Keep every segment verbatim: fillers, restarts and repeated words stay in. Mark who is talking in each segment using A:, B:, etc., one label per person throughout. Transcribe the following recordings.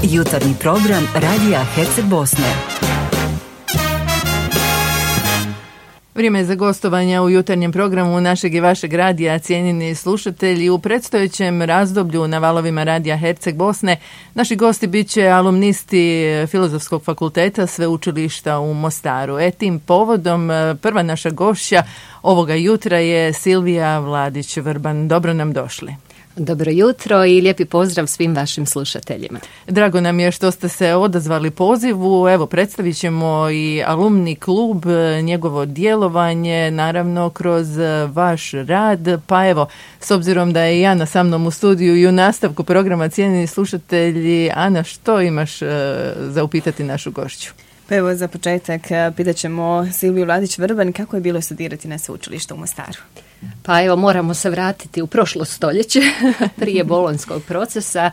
A: Jutarnji program Radija Herceg Bosne.
B: Vrijeme je za gostovanja u jutarnjem programu našeg i vašeg radija, cijenjeni slušatelji. U predstojećem razdoblju na valovima Radija Herceg Bosne naši gosti bit će alumnisti Filozofskog fakulteta Sveučilišta u Mostaru. E tim povodom prva naša gošća ovoga jutra je Silvija Vladić-Vrban. Dobro nam došli.
C: Dobro jutro i lijepi pozdrav svim vašim slušateljima.
B: Drago nam je što ste se odazvali pozivu. Evo, predstavit ćemo i alumni klub, njegovo djelovanje, naravno kroz vaš rad. Pa evo, s obzirom da je i Ana sa mnom u studiju i u nastavku programa, cijenjeni slušatelji, Ana, što imaš uh, za upitati našu gošću?
D: Pa evo, za početak pitat ćemo Silviju Vladić-Vrban kako je bilo studirati na sveučilištu u Mostaru.
C: Pa evo, moramo se vratiti u prošlo stoljeće, prije bolonjskog procesa.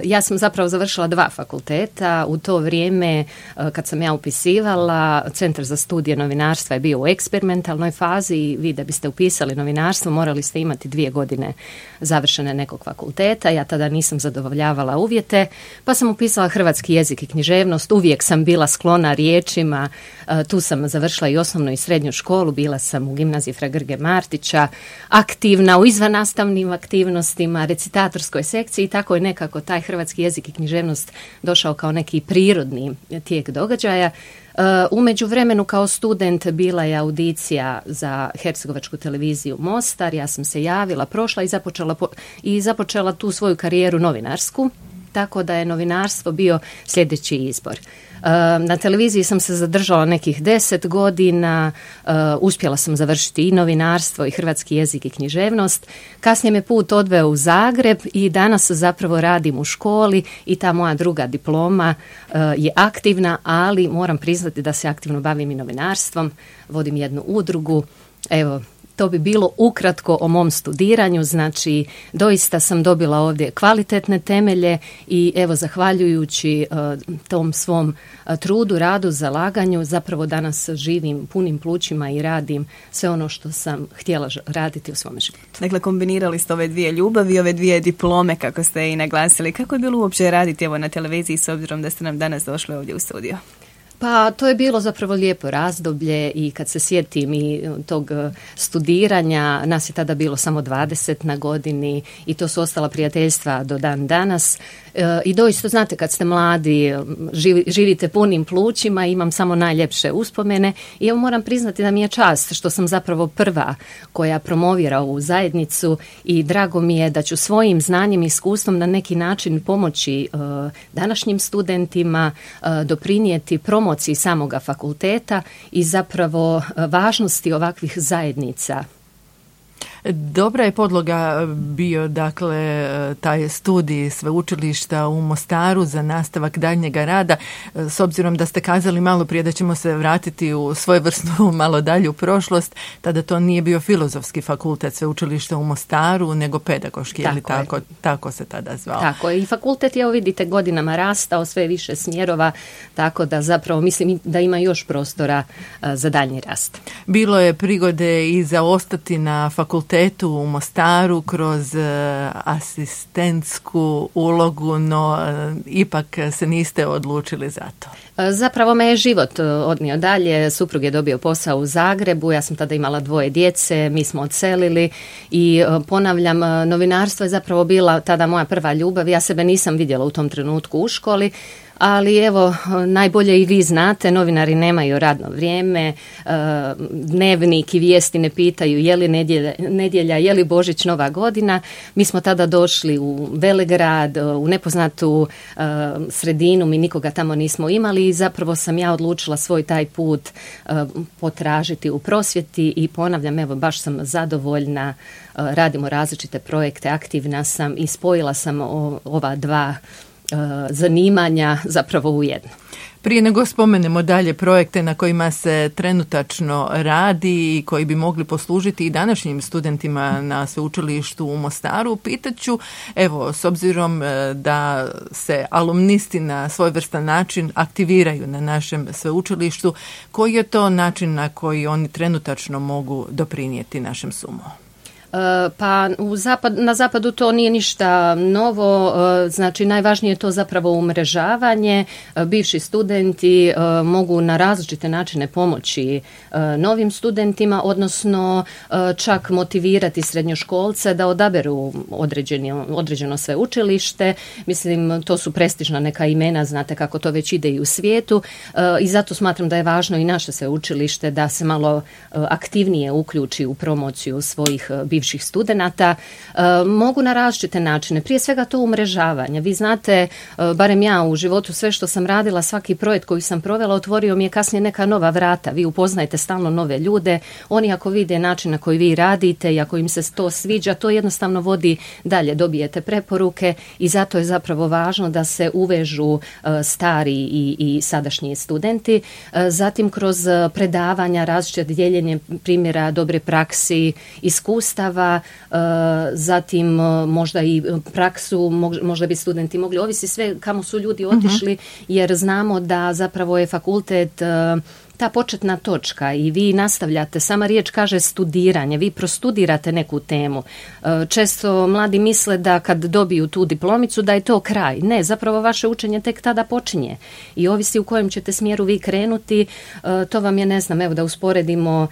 C: Ja sam zapravo završila dva fakulteta. U to vrijeme, kad sam ja upisivala, Centar za studije novinarstva je bio u eksperimentalnoj fazi i vi da biste upisali novinarstvo morali ste imati dvije godine završene nekog fakulteta. Ja tada nisam zadovoljavala uvjete, pa sam upisala hrvatski jezik i književnost. Uvijek sam bila sklona riječima. Tu sam završila i osnovnu i srednju školu. Bila sam u gimnaziji Fra Grge Martića, aktivna u izvannastavnim aktivnostima, recitatorskoj sekciji i tako je nekako taj hrvatski jezik i književnost došao kao neki prirodni tijek događaja. U međuvremenu kao student bila je audicija za Hercegovačku televiziju Mostar. Ja sam se javila, prošla i započela, po, i započela tu svoju karijeru novinarsku, tako da je novinarstvo bio sljedeći izbor. Na televiziji sam se zadržala nekih deset godina, uspjela sam završiti i novinarstvo i hrvatski jezik i književnost. Kasnije me put odveo u Zagreb i danas zapravo radim u školi i ta moja druga diploma je aktivna, ali moram priznati da se aktivno bavim i novinarstvom, vodim jednu udrugu. Evo, to bi bilo ukratko o mom studiranju, znači doista sam dobila ovdje kvalitetne temelje i evo zahvaljujući uh, tom svom uh, trudu, radu, zalaganju zapravo danas živim punim plućima i radim sve ono što sam htjela raditi u svom životu.
D: Dakle, kombinirali ste ove dvije ljubavi, ove dvije diplome kako ste i naglasili. Kako je bilo uopće raditi evo na televiziji s obzirom da ste nam danas došli ovdje u studio?
C: Pa to je bilo zapravo lijepo razdoblje i kad se sjetim i tog studiranja, nas je tada bilo samo dvadeset na godini i to su ostala prijateljstva do dan danas. E, I doista, znate, kad ste mladi, živi, živite punim plućima, imam samo najljepše uspomene i evo moram priznati da mi je čast što sam zapravo prva koja promovira ovu zajednicu i drago mi je da ću svojim znanjem i iskustvom na neki način pomoći e, današnjim studentima, e, doprinijeti promociji samoga fakulteta i zapravo važnosti ovakvih zajednica.
B: Dobra je podloga bio, dakle, taj studij sveučilišta u Mostaru za nastavak daljnjega rada. S obzirom da ste kazali malo prije da ćemo se vratiti u svojevrsnu malo dalju prošlost, tada to nije bio Filozofski fakultet sveučilišta u Mostaru, nego pedagoški, tako, ili tako, tako se tada zvao.
C: Tako je. I fakultet je, evo vidite, godinama rastao, sve više smjerova, tako da zapravo mislim da ima još prostora uh, za daljnji rast.
B: Bilo je prigode i za ostati na fakultetu u Mostaru kroz uh, asistentsku ulogu, no uh, ipak se niste odlučili za to.
C: Zapravo me je život odnio dalje, suprug je dobio posao u Zagrebu, ja sam tada imala dvoje djece, mi smo odselili i ponavljam, novinarstvo je zapravo bila tada moja prva ljubav, ja sebe nisam vidjela u tom trenutku u školi, ali evo, najbolje i vi znate, novinari nemaju radno vrijeme, dnevnik i vijesti ne pitaju je li nedjelja, nedjelja, je li Božić, Nova godina. Mi smo tada došli u Velegrad, u nepoznatu sredinu, mi nikoga tamo nismo imali i zapravo sam ja odlučila svoj taj put potražiti u prosvjeti i ponavljam, evo, baš sam zadovoljna, radimo različite projekte, aktivna sam i spojila sam ova dva zanimanja zapravo u jedno.
B: Prije nego spomenemo dalje projekte na kojima se trenutačno radi i koji bi mogli poslužiti i današnjim studentima na sveučilištu u Mostaru, pitaću, evo, s obzirom da se alumnisti na svojevrstan način aktiviraju na našem sveučilištu, koji je to način na koji oni trenutačno mogu doprinijeti našem sumu?
C: Pa u zapad, na zapadu to nije ništa novo, znači najvažnije je to zapravo umrežavanje. Bivši studenti mogu na različite načine pomoći novim studentima, odnosno čak motivirati srednjoškolce da odaberu određeno, određeno sveučilište. Mislim, to su prestižna neka imena, znate kako to već ide i u svijetu, i zato smatram da je važno i naše sveučilište da se malo aktivnije uključi u promociju svojih bivših studenata. E, mogu na različite načine. Prije svega to umrežavanje. Vi znate, e, barem ja u životu, sve što sam radila, svaki projekt koji sam provela, otvorio mi je kasnije neka nova vrata. Vi upoznajete stalno nove ljude. Oni ako vide način na koji vi radite i ako im se to sviđa, to jednostavno vodi dalje. Dobijete preporuke i zato je zapravo važno da se uvežu e, stari i, i sadašnji studenti. E, zatim kroz predavanja, različite dijeljenje primjera dobre praksi, iskustava, zatim možda i praksu, možda bi studenti mogli, ovisi sve kamo su ljudi otišli, jer znamo da zapravo je fakultet ta početna točka i vi nastavljate, sama riječ kaže studiranje, vi prostudirate neku temu. Često mladi misle da kad dobiju tu diplomicu da je to kraj. Ne, zapravo vaše učenje tek tada počinje i ovisi u kojem ćete smjeru vi krenuti. To vam je, ne znam, evo da usporedimo,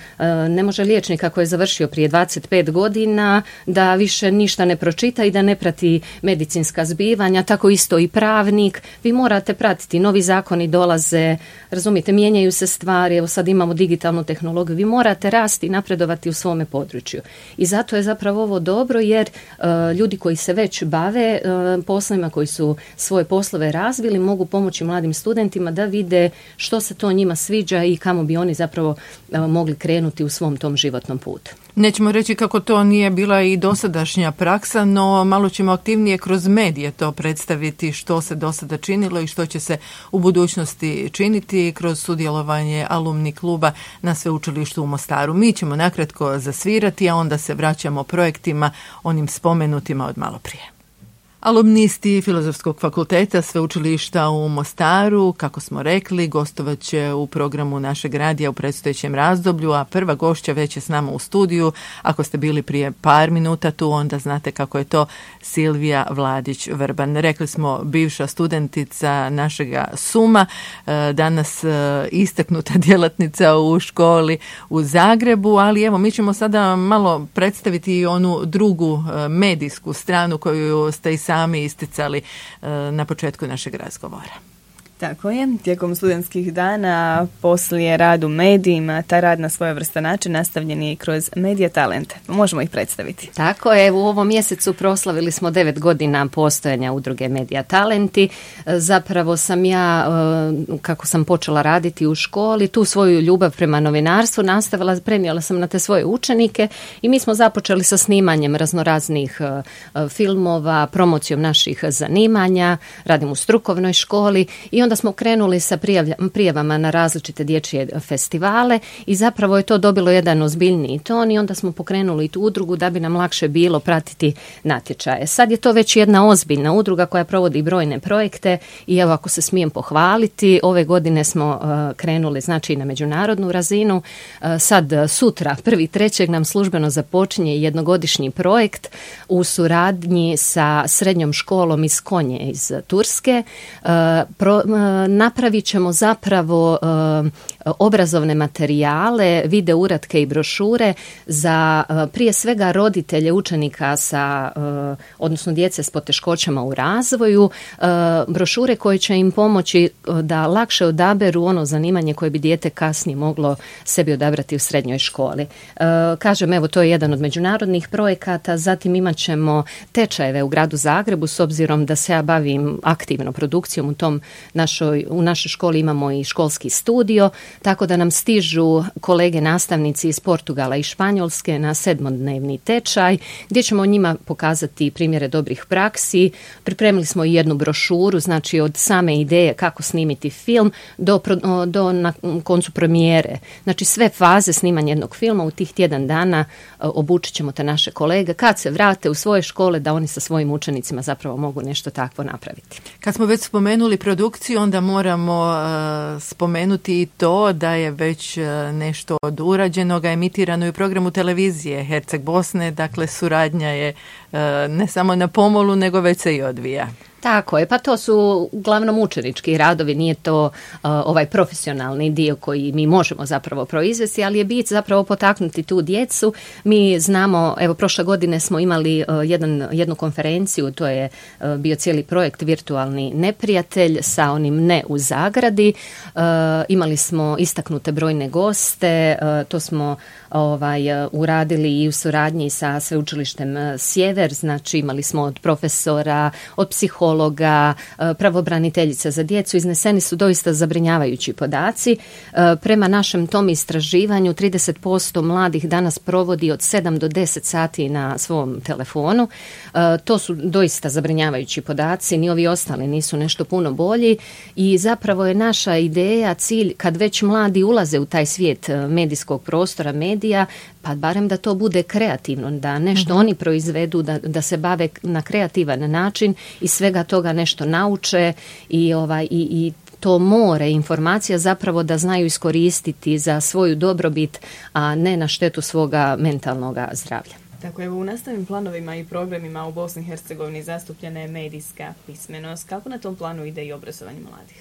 C: ne može liječnik ako je završio prije dvadeset pet godina da više ništa ne pročita i da ne prati medicinska zbivanja, tako isto i pravnik. Vi morate pratiti, novi zakoni dolaze, razumijete, mijenjaju se stvari. Evo sad imamo digitalnu tehnologiju, vi morate rasti i napredovati u svome području. I zato je zapravo ovo dobro jer uh, ljudi koji se već bave uh, poslovima, koji su svoje poslove razvili, mogu pomoći mladim studentima da vide što se to njima sviđa i kamo bi oni zapravo uh, mogli krenuti u svom tom životnom putu.
B: Nećemo reći kako to nije bila i dosadašnja praksa, no malo ćemo aktivnije kroz medije to predstaviti što se do sada činilo i što će se u budućnosti činiti kroz sudjelovanje alumni kluba na sveučilištu u Mostaru. Mi ćemo nakratko zasvirati, a onda se vraćamo projektima onim spomenutima od malo prije. Alumnisti Filozofskog fakulteta sveučilišta u Mostaru, kako smo rekli, gostovat će u programu našeg radija u predstojećem razdoblju, a prva gošća već je s nama u studiju. Ako ste bili prije par minuta tu, onda znate kako je to Silvija Vladić-Vrban. Rekli smo, bivša studentica našega Suma, danas istaknuta djelatnica u školi u Zagrebu, ali evo mi ćemo sada malo predstaviti i onu drugu medijsku stranu koju ste i sami isticali na početku našeg razgovora.
D: Tako je, tijekom studentskih dana, poslije rad u medijima, ta rad na svojevrstan način nastavljen je i kroz Medija talente. Možemo ih predstaviti.
C: Tako je, u ovom mjesecu proslavili smo devet godina postojanja udruge Medija talenti. Zapravo sam ja, kako sam počela raditi u školi, tu svoju ljubav prema novinarstvu nastavila, prenijela sam na te svoje učenike i mi smo započeli sa snimanjem raznoraznih filmova, promocijom naših zanimanja, radim u strukovnoj školi i onda smo krenuli sa prijavama na različite dječje festivale i zapravo je to dobilo jedan ozbiljniji ton i onda smo pokrenuli tu udrugu da bi nam lakše bilo pratiti natječaje. Sad je to već jedna ozbiljna udruga koja provodi brojne projekte i evo ako se smijem pohvaliti, ove godine smo uh, krenuli znači na međunarodnu razinu. Uh, sad sutra, prvi trećeg nam službeno započinje jednogodišnji projekt u suradnji sa srednjom školom iz Konje iz Turske. Uh, pro, napravit ćemo zapravo uh, obrazovne materijale, video uratke i brošure za uh, prije svega roditelje učenika sa, uh, odnosno djece s poteškoćama u razvoju, uh, brošure koje će im pomoći uh, da lakše odaberu ono zanimanje koje bi dijete kasnije moglo sebi odabrati u srednjoj školi. Uh, kažem, evo, to je jedan od međunarodnih projekata, zatim imat ćemo tečajeve u gradu Zagrebu, s obzirom da se ja bavim aktivno produkcijom u tom našoj, u našoj školi imamo i školski studio, tako da nam stižu kolege nastavnici iz Portugala i Španjolske na sedmodnevni tečaj, gdje ćemo njima pokazati primjere dobrih praksi. Pripremili smo i jednu brošuru, znači od same ideje kako snimiti film do, do na koncu premijere. Znači sve faze snimanja jednog filma u tih tjedan dana obučit ćemo te naše kolege kad se vrate u svoje škole da oni sa svojim učenicima zapravo mogu nešto takvo napraviti.
B: Kad smo već spomenuli produkciju, reći, onda moramo uh, spomenuti i to da je već uh, nešto od urađenoga emitirano i u programu televizije Herceg Bosne, dakle suradnja je uh, ne samo na pomolu, nego već se i odvija.
C: Tako je, pa to su uglavnom učenički radovi, nije to uh, ovaj profesionalni dio koji mi možemo zapravo proizvesti, ali je bit zapravo potaknuti tu djecu. Mi znamo, evo prošle godine smo imali uh, jedan, jednu konferenciju, to je uh, bio cijeli projekt Virtualni neprijatelj sa onim ne u zagradi. Uh, imali smo istaknute brojne goste, uh, to smo ovaj, uh, uradili i u suradnji sa Sveučilištem uh, Sjever, znači imali smo od profesora, od psihologa, pravobraniteljica za djecu, izneseni su doista zabrinjavajući podaci. Prema našem tom istraživanju trideset posto mladih danas provodi od sedam do deset sati na svom telefonu. To su doista zabrinjavajući podaci, ni ovi ostali nisu nešto puno bolji i zapravo je naša ideja, cilj, kad već mladi ulaze u taj svijet medijskog prostora, medija, pa barem da to bude kreativno, da nešto mm-hmm. oni proizvedu, da, da se bave na kreativan način i svega toga nešto nauče i, ovaj, i, i to more informacija zapravo da znaju iskoristiti za svoju dobrobit, a ne na štetu svoga mentalnog zdravlja.
D: Tako, evo, u nastavnim planovima i programima u Bosni i Hercegovini zastupljena je medijska pismenost. Kako na tom planu ide i obrazovanje mladih?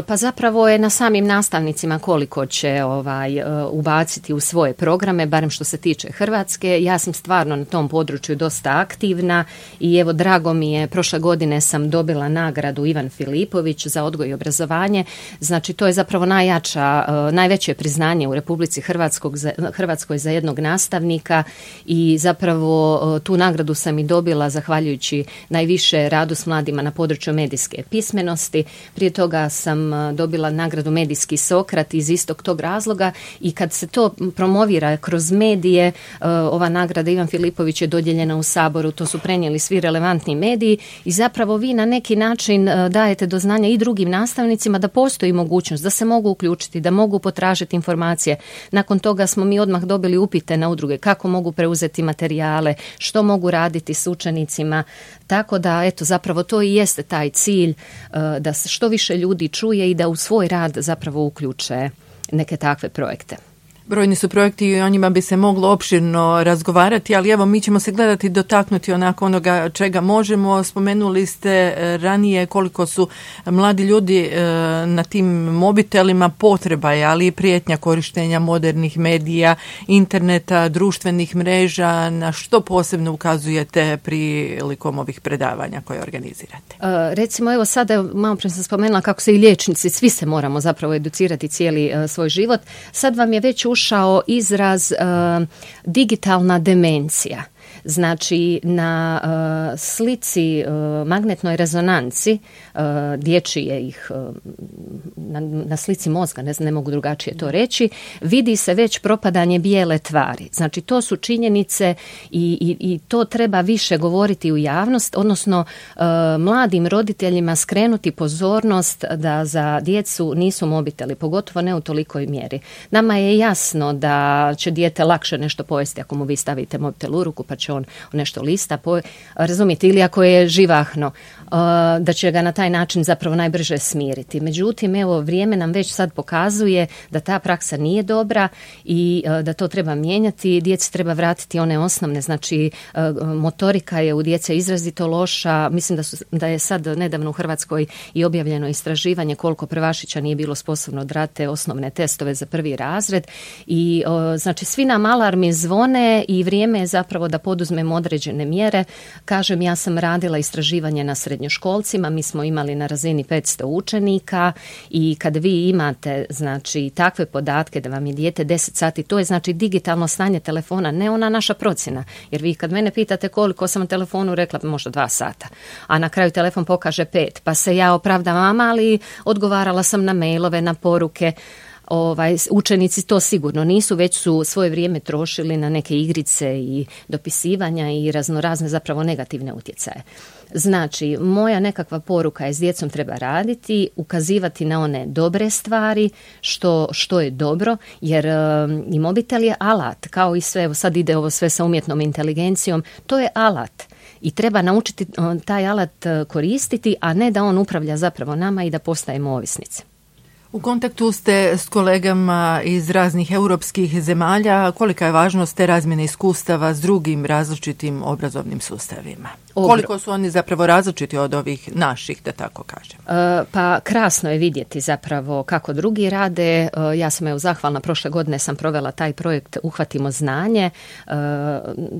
C: Pa zapravo je na samim nastavnicima koliko će ovaj, ubaciti u svoje programe, barem što se tiče Hrvatske. Ja sam stvarno na tom području dosta aktivna i evo drago mi je, prošle godine sam dobila nagradu Ivan Filipović za odgoj i obrazovanje. Znači to je zapravo najjača, najveće priznanje u Republici Hrvatskog, Hrvatskoj za jednog nastavnika i zapravo tu nagradu sam i dobila zahvaljujući najviše radu s mladima na području medijske pismenosti. Prije toga sam sam dobila nagradu Medijski Sokrat iz istog tog razloga i kad se to promovira kroz medije, ova nagrada Ivan Filipović je dodijeljena u Saboru, to su prenijeli svi relevantni mediji i zapravo vi na neki način dajete do znanja i drugim nastavnicima da postoji mogućnost da se mogu uključiti, da mogu potražiti informacije. Nakon toga smo mi odmah dobili upite na udruge kako mogu preuzeti materijale, što mogu raditi s učenicima, tako da eto zapravo to i jeste taj cilj, da se što više ljudi čuje i da u svoj rad zapravo uključe neke takve projekte.
B: Brojni su projekti i o njima bi se moglo opširno razgovarati, ali evo mi ćemo se gledati dotaknuti onako onoga čega možemo. Spomenuli ste ranije koliko su mladi ljudi na tim mobitelima potreba je, ali i prijetnja korištenja modernih medija, interneta, društvenih mreža. Na što posebno ukazujete prilikom ovih predavanja koje organizirate?
C: Uh, recimo evo sada, malo prije sam spomenula kako se i liječnici, svi se moramo zapravo educirati cijeli uh, svoj život. Sad vam je već ušao izraz uh, digitalna demencija. Znači na uh, slici uh, magnetnoj rezonanci uh, dječje ih uh, na, na slici mozga, ne, ne mogu drugačije to reći, vidi se već propadanje bijele tvari. Znači to su činjenice i, i, i to treba više govoriti u javnost, odnosno uh, mladim roditeljima skrenuti pozornost da za djecu nisu mobiteli, pogotovo ne u tolikoj mjeri. Nama je jasno da će dijete lakše nešto pojesti ako mu vi stavite mobitel u ruku pa će on nešto lista, po, razumijete, ili ako je živahno, uh, da će ga na taj način zapravo najbrže smiriti. Međutim, evo, vrijeme nam već sad pokazuje da ta praksa nije dobra i uh, da to treba mijenjati. Djeci treba vratiti one osnovne, znači uh, motorika je u djece izrazito loša. Mislim da, su, da je sad nedavno u Hrvatskoj i objavljeno istraživanje koliko prvašića nije bilo sposobno odraditi osnovne testove za prvi razred i uh, znači svi nam alarmi zvone i vrijeme je zapravo da poduzmemo određene mjere. Kažem, ja sam radila istraživanje na srednjoškolcima, mi smo imali na razini petsto učenika i kad vi imate znači takve podatke da vam je dijete deset sati, to je znači digitalno stanje telefona, ne ona naša procjena, jer vi kad mene pitate koliko sam na telefonu rekla možda dva sata, a na kraju telefon pokaže pet, pa se ja opravdavam, ali odgovarala sam na mailove, na poruke. Ovaj, učenici to sigurno nisu, već su svoje vrijeme trošili na neke igrice i dopisivanja i raznorazne zapravo negativne utjecaje. Znači, moja nekakva poruka je s djecom treba raditi, ukazivati na one dobre stvari, što, što je dobro, jer um, i mobitel je alat, kao i sve, evo sad ide ovo sve sa umjetnom inteligencijom, to je alat. i treba naučiti taj alat koristiti, a ne da on upravlja zapravo nama i da postajemo ovisnici.
B: U kontaktu ste s kolegama iz raznih europskih zemalja. Kolika je važnost te razmjene iskustava s drugim različitim obrazovnim sustavima? Koliko su oni zapravo različiti od ovih naših, da tako kažem?
C: E, pa krasno je vidjeti zapravo kako drugi rade. E, ja sam evo zahvalna, prošle godine sam provela taj projekt Uhvatimo znanje. E,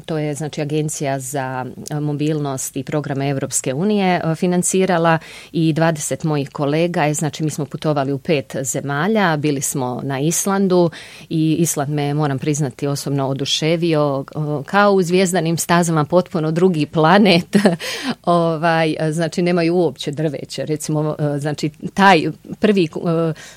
C: to je znači Agencija za mobilnost i programe Europske unije e, financirala i dvadeset mojih kolega je, znači mi smo putovali u pet zemalja, bili smo na Islandu i Island me, moram priznati, osobno oduševio, kao u zvjezdanim stazama, potpuno drugi planet. ovaj, znači nemaju uopće drveće, recimo, znači taj prvi uh,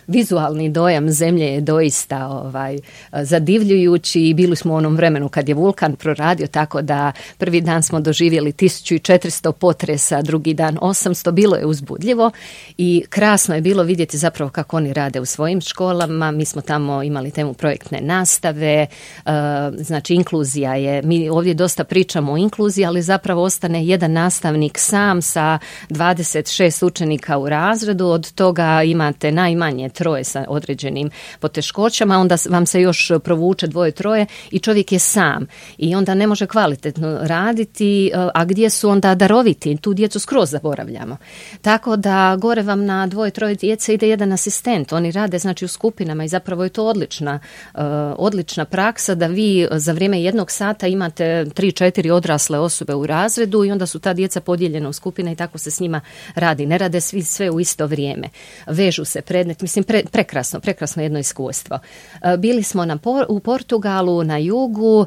C: vizualni dojam zemlje je doista ovaj, zadivljujući i bili smo u onom vremenu kad je vulkan proradio, tako da prvi dan smo doživjeli tisuću četiristo potresa, drugi dan osamsto, bilo je uzbudljivo i krasno je bilo vidjeti zapravo kako oni rade u svojim školama. Mi smo tamo imali temu projektne nastave, uh, znači inkluzija je, mi ovdje dosta pričamo o inkluziji, ali zapravo ostane jedan nastavnik sam sa dvadeset šest učenika u razredu, od toga imate najmanje troje sa određenim poteškoćama, onda vam se još provuče dvoje, troje i čovjek je sam i onda ne može kvalitetno raditi, a gdje su onda daroviti, tu djecu skroz zaboravljamo. Tako da gore vam na dvoje, troje djece ide jedan asistent, oni rade znači u skupinama i zapravo je to odlična, uh, odlična praksa da vi za vrijeme jednog sata imate tri, četiri odrasle osobe u razredu i onda su ta djeca podijeljena u skupine i tako se s njima radi. Ne rade svi sve u isto vrijeme. Vežu se predmet, mislim pre, prekrasno, prekrasno jedno iskustvo. Uh, bili smo na por, u Portugalu, na jugu, uh,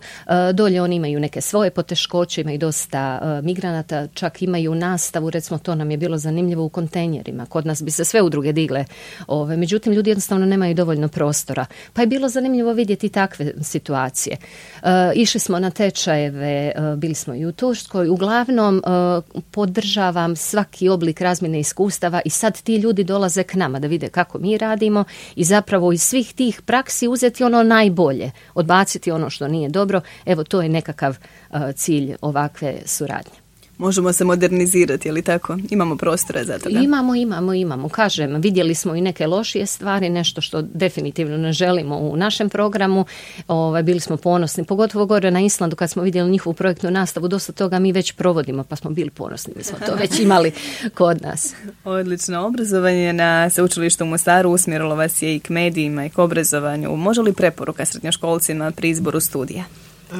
C: dolje oni imaju neke svoje poteškoće, imaju dosta uh, migranata, čak imaju nastavu, recimo to nam je bilo zanimljivo u kontejnerima. Kod nas bi se sve udruge digle, ove, međutim ljudi jednostavno nemaju dovoljno prostora. Pa je bilo zanimljivo vidjeti takve situacije. Uh, išli smo na tečajeve, uh, bili smo i u Turskoj, uglavnom uh, podržavam svaki oblik razmjene iskustava i sad ti ljudi dolaze k nama da vide kako mi radimo i zapravo iz svih tih praksi uzeti ono najbolje, odbaciti ono što nije dobro. Evo, to je nekakav uh, cilj ovakve suradnje.
D: Možemo se modernizirati, je li tako? Imamo prostora za toga?
C: Imamo, imamo, imamo. Kažem, vidjeli smo i neke lošije stvari, nešto što definitivno ne želimo u našem programu. Ovaj, bili smo ponosni, pogotovo gore na Islandu kad smo vidjeli njihovu projektnu nastavu, dosta toga mi već provodimo, pa smo bili ponosni, mi smo to već imali kod nas.
D: Odlično. Obrazovanje na Sveučilištu u Mostaru usmjerilo vas je i k medijima i k obrazovanju. Može li preporuka srednjoškolcima pri izboru studija?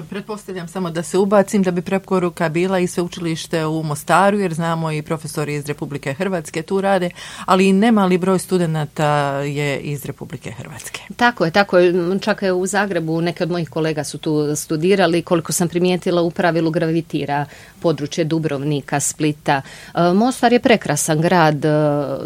B: Pretpostavljam samo da se ubacim da bi preporuka bila i sveučilište u Mostaru, jer znamo i profesori iz Republike Hrvatske tu rade, ali i nemali broj studenata je iz Republike Hrvatske.
C: Tako je, tako je. Čak je u Zagrebu neke od mojih kolega su tu studirali, koliko sam primijetila u pravilu gravitira područje Dubrovnika, Splita. Mostar je prekrasan grad,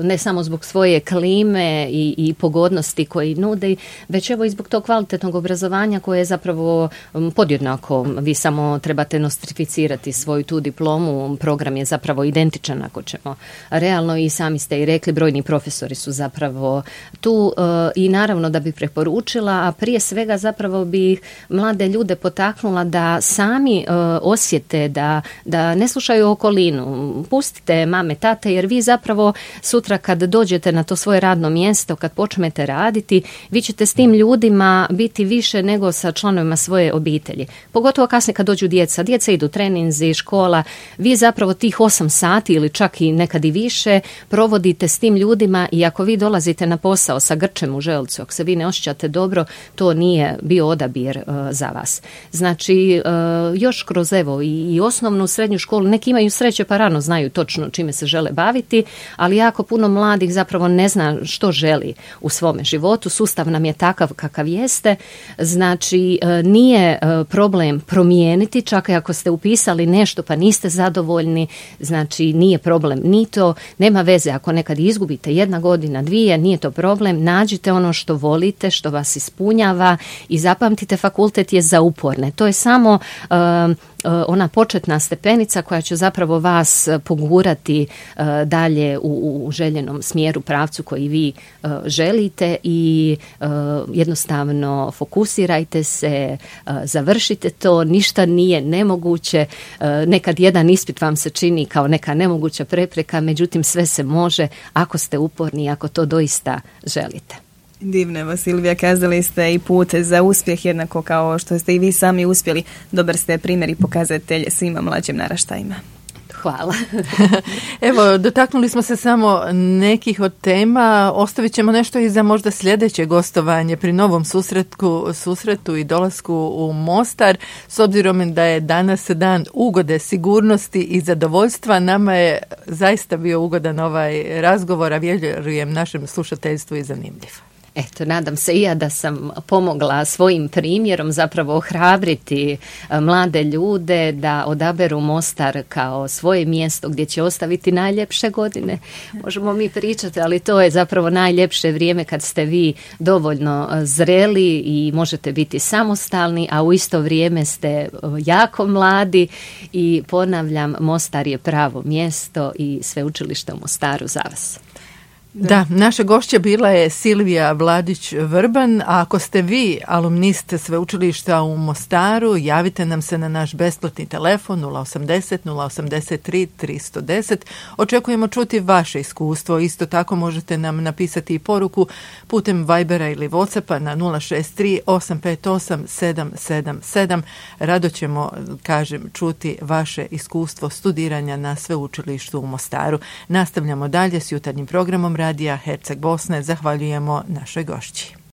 C: ne samo zbog svoje klime i, i pogodnosti koji nude, već evo i zbog tog kvalitetnog obrazovanja koje je zapravo pod jednako, vi samo trebate nostrificirati svoju tu diplomu, program je zapravo identičan ako ćemo realno i sami ste i rekli, brojni profesori su zapravo tu uh, i naravno da bi preporučila, a prije svega zapravo bi mlade ljude potaknula da sami uh, osjete da, da ne slušaju okolinu, pustite mame, tate, jer vi zapravo sutra kad dođete na to svoje radno mjesto, kad počnete raditi, vi ćete s tim ljudima biti više nego sa članovima svoje obitelji. Pogotovo kasnije kad dođu djeca. Djeca idu treninzi, škola. Vi zapravo tih osam sati ili čak i nekad i više provodite s tim ljudima i ako vi dolazite na posao sa grčem u želucu, ako se vi ne osjećate dobro, to nije bio odabir uh, za vas. Znači, uh, još kroz evo i, i osnovnu srednju školu, neki imaju sreće pa rano znaju točno čime se žele baviti, ali jako puno mladih zapravo ne zna što želi u svome životu. Sustav nam je takav kakav jeste. Znači, uh, nije uh, problem promijeniti, čak i ako ste upisali nešto pa niste zadovoljni, znači nije problem ni to, nema veze ako nekad izgubite jedna godina, dvije, nije to problem, nađite ono što volite, što vas ispunjava i zapamtite, fakultet je za uporne. To je samo uh, ona početna stepenica koja će zapravo vas pogurati uh, dalje u, u željenom smjeru, pravcu koji vi uh, želite i uh, jednostavno fokusirajte se, uh, završite završite to, ništa nije nemoguće, nekad jedan ispit vam se čini kao neka nemoguća prepreka, međutim sve se može ako ste uporni i ako to doista želite.
D: Divno, evo Silvija, kazali ste i put za uspjeh jednako kao što ste i vi sami uspjeli. Dobar ste primjer i pokazatelj svima mlađim naraštajima.
C: Hvala.
B: Evo, dotaknuli smo se samo nekih od tema, ostavit ćemo nešto i za možda sljedeće gostovanje pri novom susretku, susretu i dolasku u Mostar. S obzirom da je danas dan ugode, sigurnosti i zadovoljstva, nama je zaista bio ugodan ovaj razgovor, a vjerujem našem slušateljstvu i zanimljiv.
C: Eto, nadam se i ja da sam pomogla svojim primjerom zapravo ohrabriti mlade ljude da odaberu Mostar kao svoje mjesto gdje će ostaviti najljepše godine. Možemo mi pričati, ali to je zapravo najljepše vrijeme kad ste vi dovoljno zreli i možete biti samostalni, a u isto vrijeme ste jako mladi i ponavljam, Mostar je pravo mjesto i Sveučilište u Mostaru za vas.
B: Da. da, naša gošća bila je Silvija Vladić-Vrban, a ako ste vi alumnist Sveučilišta u Mostaru, javite nam se na naš besplatni telefon nula osamdeset nula osamdeset tri tristo deset. Očekujemo čuti vaše iskustvo. Isto tako možete nam napisati i poruku putem Vibera ili Whatsappa na nula šest tri osam pet osam sedam sedam sedam. Rado ćemo, kažem, čuti vaše iskustvo studiranja na Sveučilištu u Mostaru. Nastavljamo dalje s jutarnjim programom Radija Herceg Bosne. Zahvaljujemo našoj gošći.